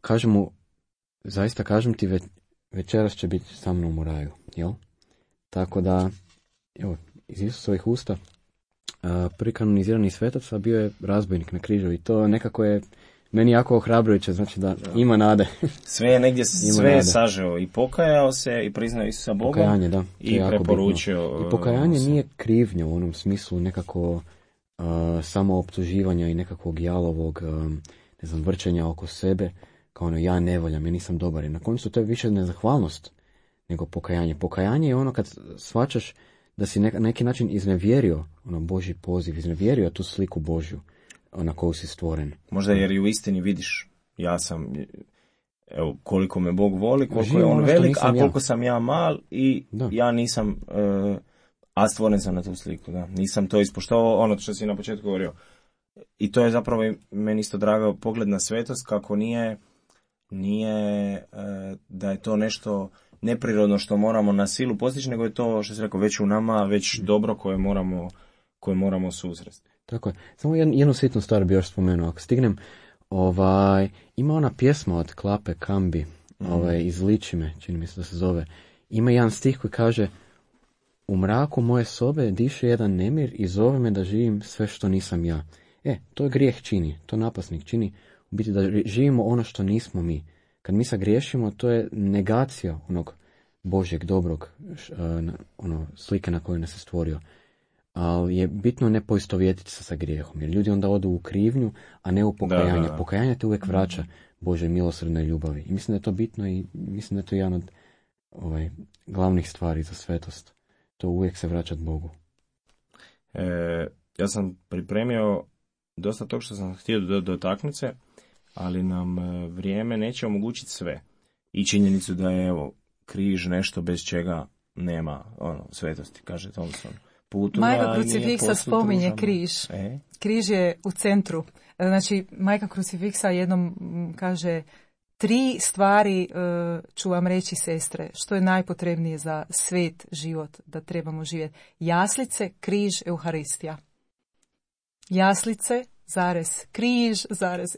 Kaže mu, zaista kažem ti, večeras će biti sa mnom u raju, jel? Tako da, evo, iz Isusovih usta prvi kanonizirani svetac, a bio je razbojnik na križu i to nekako je meni jako ohrabrujuće, znači da ima nade. Sve je negdje, sve je sažeo i pokajao se i priznao Isusa Bogom. Pokajanje, da. I preporučio. I pokajanje nije krivnja u onom smislu nekako samo optuživanja i nekakvog jalovog vrčenja oko sebe, kao ja ne voljam, ja nisam dobar. I na koncu to je više nezahvalnost nego pokajanje. Pokajanje je ono kad shvaćaš da si na neki način iznevjerio Božji poziv, iznevjerio tu sliku Božju na koju si stvoren. Možda jer i u istini vidiš, ja sam, evo, koliko me Bog voli, koliko je on velik, a koliko sam ja mal i ja nisam, a stvoren sam na tu sliku, da. Nisam to ispoštovao, ono što si na početku govorio. I to je zapravo meni isto drago pogled na svetost, kako nije da je to nešto neprirodno što moramo na silu postići, nego je to, što si rekao, već u nama, već dobro koje moramo susresti. Tako je. Samo jednu sitnu stvar bi još spomenuo. Ako stignem, ima ona pjesma od Klape Kambi, iz Ličime, čini mi se da se zove. Ima jedan stih koji kaže: u mraku moje sobe diše jedan nemir i zove me da živim sve što nisam ja. To je grijeh čini, to napasnik čini, u biti da živimo ono što nismo mi. Kad mi sagriješimo, to je negacija onog Božjeg, dobrog, slike na koju nas je stvorio. Ali je bitno ne poistovjetiti se sa grijehom, jer ljudi onda odu u krivnju, a ne u pokajanje. Da. Pokajanje te uvijek vraća Božoj milosrdnoj ljubavi. I mislim da je to bitno i mislim da je to jedan od glavnih stvari za svetost. To uvijek se vraćati Bogu. Ja sam pripremio dosta tog što sam htio dotaknuti se, ali nam vrijeme neće omogućiti sve. I činjenicu da je križ nešto bez čega nema svetosti, kaže Thompson. Majka Krucifiksa spominje križ. Križ je u centru. Znači, Majka Krucifiksa jednom kaže: 3 stvari ću vam reći, sestre, što je najpotrebnije za svet život da trebamo živjeti. Jaslice, križ, Euharistija. Jaslice, križ,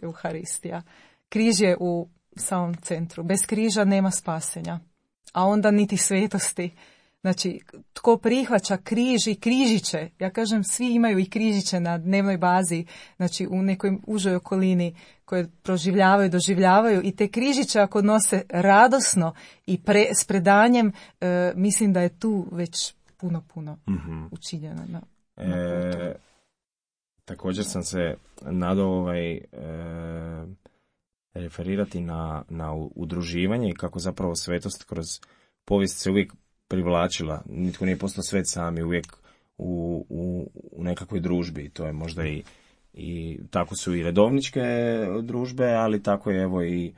Euharistija. Križ je u samom centru. Bez križa nema spasenja, a onda niti svetosti. Znači, tko prihvaća križ i križiće, ja kažem, svi imaju i križiće na dnevnoj bazi, znači u nekoj užoj okolini koje proživljavaju, doživljavaju, i te križiće ako nose radosno i s predanjem, mislim da je tu već puno učinjeno na putu. Također sam se nadao referirati na udruživanje i kako zapravo svetost kroz povijest se uvijek privlačila. Nitko nije postao svet sam, je uvijek u nekakvoj družbi. To je možda i tako su i redovničke družbe, ali tako je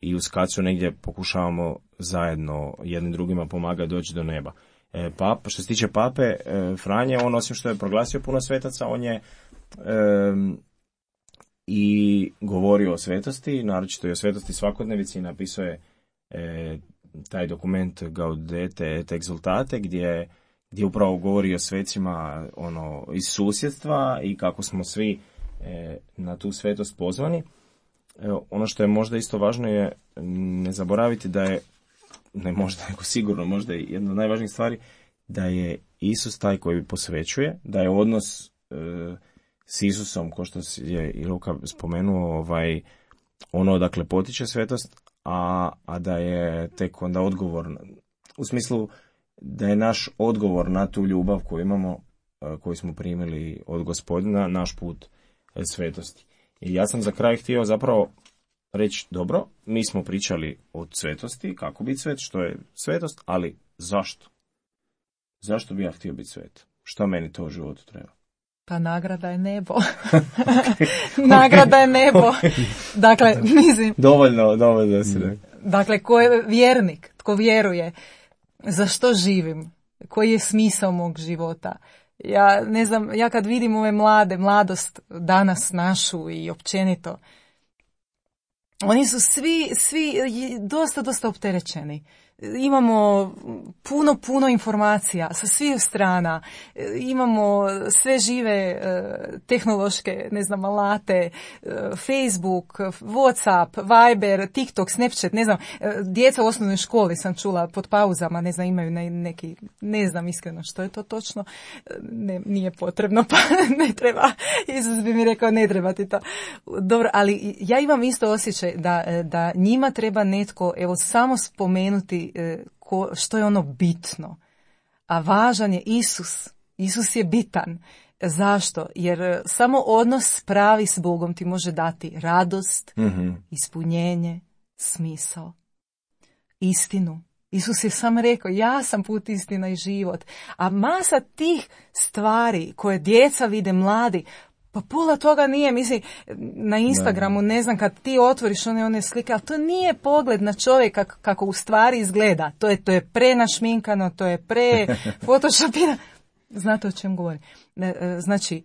i u Skacu negdje pokušavamo zajedno jednim drugima pomagati doći do neba. Što se tiče pape Franje, on osim što je proglasio puno svetaca, on je i govorio o svetosti, naročito i o svetosti svakodnevici, napisao je taj dokument Gaudete et Exultate gdje upravo govori o svecima iz susjedstva i kako smo svi na tu svetost pozvani. Ono što je možda isto važno je ne zaboraviti da je, ne možda, nego sigurno možda je jedna od najvažnijih stvari, da je Isus taj koji posvećuje, da je odnos s Isusom, ko što je i Luka spomenuo, dakle potiče svetost, a da je tek onda odgovor, u smislu da je naš odgovor na tu ljubav koju imamo, koju smo primili od Gospodina, naš put svetosti. I ja sam za kraj htio zapravo reći, dobro, mi smo pričali o svetosti, kako biti svet, što je svetost, ali zašto? Zašto bi ja htio biti svet? Što meni to u životu treba? Pa nagrada je nebo. Nagrada je nebo. Dakle, mislim... Dovoljno si rekao. Dakle, ko je vjernik, tko vjeruje, za što živim, koji je smisao mog života. Ja ne znam, ja kad vidim ove mladost danas našu i općenito, oni su svi dosta opterećeni. Imamo puno informacija sa svih strana, imamo sve žive tehnološke, alate, Facebook, Whatsapp, Viber, TikTok, Snapchat, djeca u osnovnoj školi sam čula pod pauzama, imaju neki, ne znam iskreno što je to točno, nije potrebno, pa ne treba, Isus bi mi rekao ne treba ti to. Dobro, ali ja imam isto osjećaj da njima treba netko, samo spomenuti što je ono bitno. A važan je Isus. Isus je bitan. Zašto? Jer samo odnos pravi s Bogom ti može dati radost, ispunjenje, smisao, istinu. Isus je sam rekao, ja sam put, istina i život. A masa tih stvari koje djeca vide, mladi, pa pola toga nije, na Instagramu, ne znam, kad ti otvoriš one slike, ali to nije pogled na čovjeka kako u stvari izgleda. To je prenašminkano, to je pre-photoshopirano. Znate o čem govorim? Znači,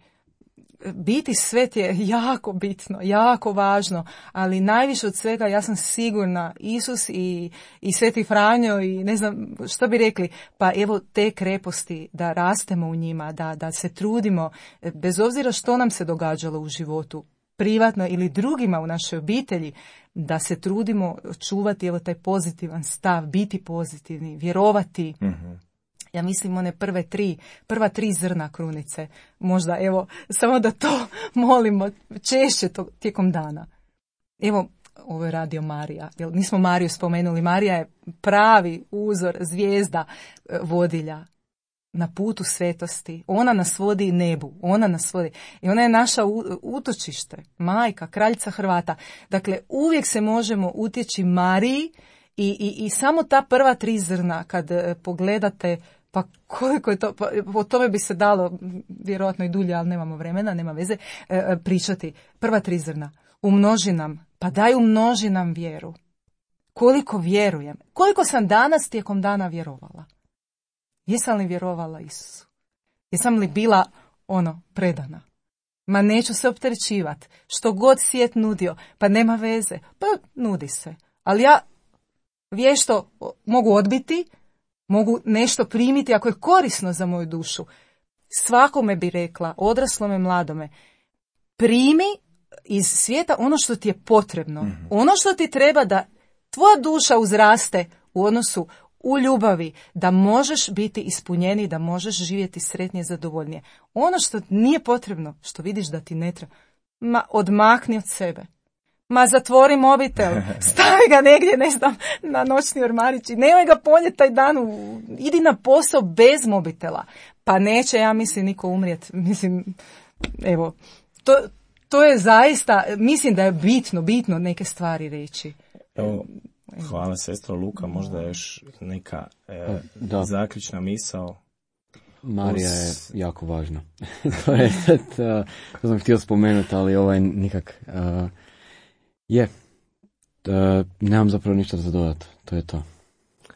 biti svet je jako bitno, jako važno, ali najviše od svega ja sam sigurna Isus i Sveti Franjo i ne znam što bi rekli, pa evo te kreposti da rastemo u njima, da se trudimo, bez obzira što nam se događalo u životu, privatno ili drugima u našoj obitelji, da se trudimo čuvati evo taj pozitivan stav, biti pozitivni, vjerovati. Ja mislim one prva tri zrna krunice. Možda, samo da to molimo češće tijekom dana. Evo, ovo je radio Marija. Nismo Mariju spomenuli. Marija je pravi uzor, zvijezda, vodilja na putu svetosti. Ona nas vodi nebu. Ona nas vodi. I ona je naša utočište, majka, kraljica Hrvata. Dakle, uvijek se možemo utječi Mariji i samo ta prva tri zrna, kad pogledate, pa koliko je to, pa o tome bi se dalo vjerojatno i dulje, ali nemamo vremena, nema veze, pričati. Prva tri zrna. Umnoži nam, pa daj umnoži nam vjeru. Koliko vjerujem? Koliko sam danas tijekom dana vjerovala? Jesam li vjerovala Isusu? Jesam li bila predana? Ma neću se opterećivati. Što god svijet nudio, pa nema veze. Pa nudi se. Ali ja vješto mogu odbiti, mogu nešto primiti ako je korisno za moju dušu. Svakome bi rekla, odraslome, mladome, primi iz svijeta ono što ti je potrebno. Ono što ti treba da tvoja duša uzraste u odnosu, u ljubavi, da možeš biti ispunjeniji, da možeš živjeti sretnije, zadovoljnije. Ono što nije potrebno, što vidiš da ti ne treba, odmakni od sebe. Zatvori mobitel, stavi ga negdje, ne znam, na noćni ormarić i nemoj ga ponijeti taj dan, idi na posao bez mobitela. Pa neće, ja mislim, niko umrijeti. Evo, to je zaista, mislim da je bitno neke stvari reći. Evo, hvala sestro Luka, možda još neka zaključna misao. Marija je jako važna. to sam htio spomenuti, ali nikak... nemam zapravo ništa za dodati, to je to.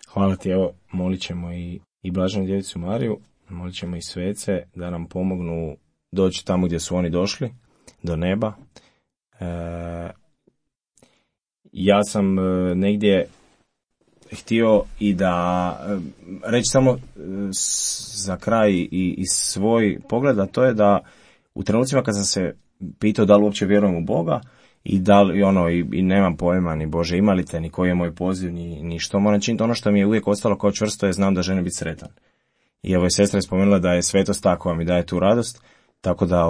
Hvala ti, evo, molit ćemo i Blaženu djevicu Mariju, molit ćemo i svece da nam pomognu doći tamo gdje su oni došli, do neba. Ja sam negdje htio i da reći samo za kraj i svoj pogled, a to je da u trenucima kad sam se pitao da li uopće vjerujem u Boga i da li i nemam pojma ni Bože ima li te, ni koji je moj poziv, ni što moram činiti, ono što mi je uvijek ostalo kao čvrsto je znam da želim biti sretan. I evo je sestra je spomenula da je svetost ta koja mi daje tu radost, tako da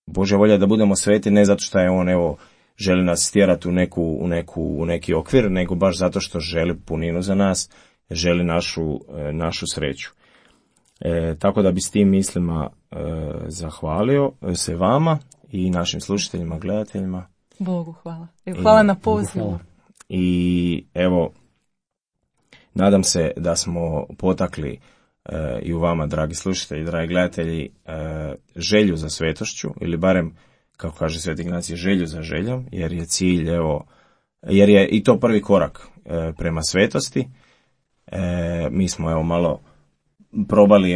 Božja volja da budemo sveti ne zato što je on želi nas stjerati u neki okvir, nego baš zato što želi puninu za nas, želi našu sreću. Tako da bi s tim mislima zahvalio se vama i našim slušateljima, gledateljima. Bogu hvala. Hvala na pozivu. I evo, nadam se da smo potakli i u vama, dragi slušatelji, dragi gledatelji, želju za svetošću, ili barem, kako kaže Sveti Ignacij, želju za željom, jer je cilj, jer je i to prvi korak prema svetosti. Mi smo malo probali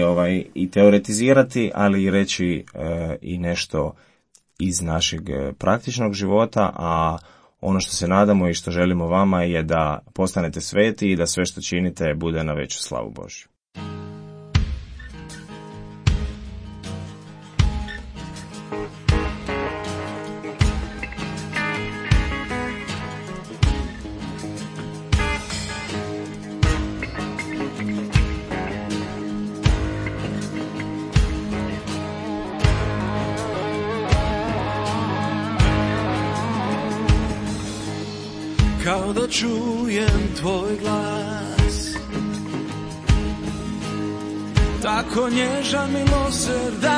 i teoretizirati, ali i reći i nešto iz našeg praktičnog života, a ono što se nadamo i što želimo vama je da postanete sveti i da sve što činite bude na veću slavu Božju. Kao da čujem tvoj glas, tako nježan, milosrdan,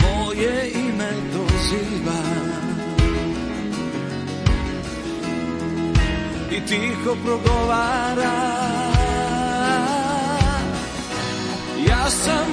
moje ime doziva i tiho progovara, ja sam